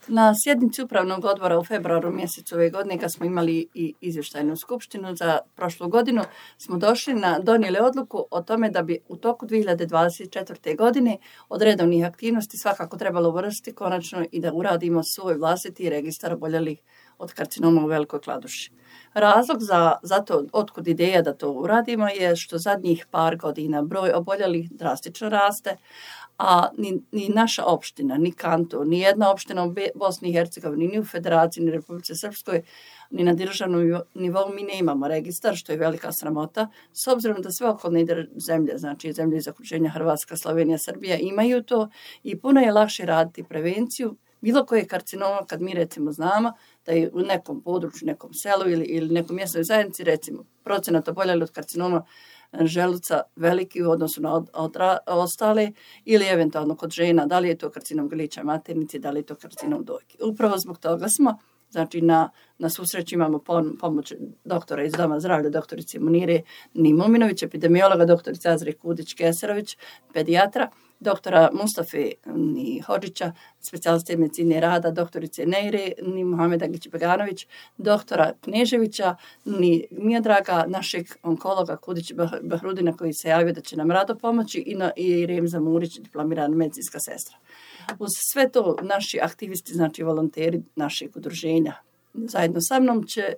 Na sjednici upravnog odbora u februaru mjesecu ove godine, kad smo imali i izvještajnu skupštinu za prošlu godinu, smo donijeli odluku o tome da bi u toku 2024. godine od redovnih aktivnosti svakako trebalo uvrstiti konačno i da uradimo svoj vlastiti registar oboljelih od karcinoma u Velikoj Kladuši. Razlog za to, otkud ideja da to uradimo, je što zadnjih par godina broj oboljelih drastično raste, a ni naša opština, ni kanton, ni jedna opština u Bosni i Hercegovini, ni u Federaciji, ni Republici Srpskoj, ni na državnom nivou mi ne imamo registar, što je velika sramota, s obzirom da sve okolne zemlje, znači zemlje iz okruženja Hrvatska, Slovenija, Srbija imaju to i puno je lakše raditi prevenciju bilo koje karcinoma kad mi recimo znamo da je u nekom području, nekom selu ili nekom mjesnoj zajednici recimo procenat oboljelih od karcinoma želuca veliki u odnosu na ostale ili eventualno kod žena, da li je to karcinom grlića maternice, da li je to karcinom dojke. Upravo zbog toga smo, znači na svu sreću imamo pomoć doktora iz Doma zdravlja, doktorice Munire Nimominović, epidemiologa, doktorice Azre Kudić-Keserović, pedijatra, doktora Mustafe Hodžića, specijaliste medicine rada, doktorice Neire Muhameda Gić-Beganović, doktora Kneževića, Miodraga, našeg onkologa Kudić Bahrudina koji se javio da će nam rado pomoći i Remza Murić, diplomirana medicinska sestra. Uz sve to naši aktivisti, znači volonteri našeg udruženja, zajedno sa mnom će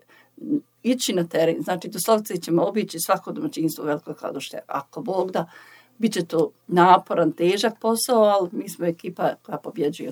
ići na teren, znači doslovce ćemo obići svako domaćinstvo u Velikoj Kladuši, ako Bog da. Biće to naporan, težak posao, ali mi smo ekipa koja pobjeđuje.